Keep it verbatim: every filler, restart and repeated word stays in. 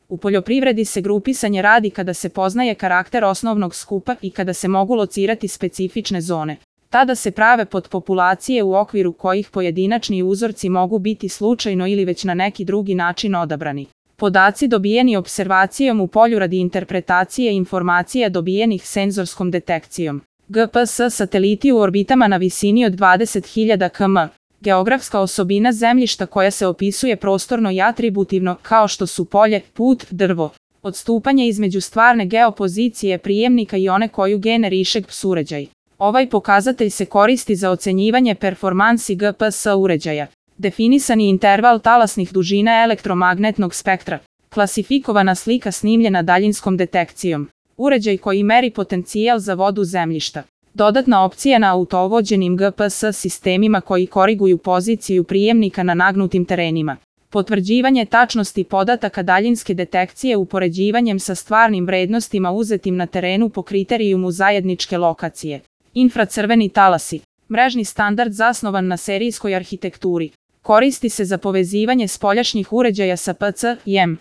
U poljoprivredi se grupisanje radi kada se poznaje karakter osnovnog skupa i kada se mogu locirati specifične zone. Tada se prave podpopulacije u okviru kojih pojedinačni uzorci mogu biti slučajno ili već na neki drugi način odabrani. Podaci dobijeni observacijom u polju radi interpretacije informacija dobijenih senzorskom detekcijom. G P S sateliti u orbitama na visini od dvadeset hiljada kilometara. Geografska osobina zemljišta koja se opisuje prostorno i atributivno, kao što su polje, put, drvo. Odstupanje između stvarne geopozicije prijemnika i one koju generiše G P S uređaj. Ovaj pokazatelj se koristi za ocenjivanje performansi G P S uređaja. Definisani interval talasnih dužina elektromagnetnog spektra. Klasifikovana slika snimljena daljinskom detekcijom. Uređaj koji meri potencijal za vodu zemljišta. Dodatna opcija na autovođenim G P S sistemima koji koriguju poziciju prijemnika na nagnutim terenima. Potvrđivanje tačnosti podataka daljinske detekcije upoređivanjem sa stvarnim vrednostima uzetim na terenu po kriterijumu zajedničke lokacije. Infracrveni talasi. Mrežni standard zasnovan na serijskoj arhitekturi. Koristi se za povezivanje spoljašnjih uređaja sa P C I M.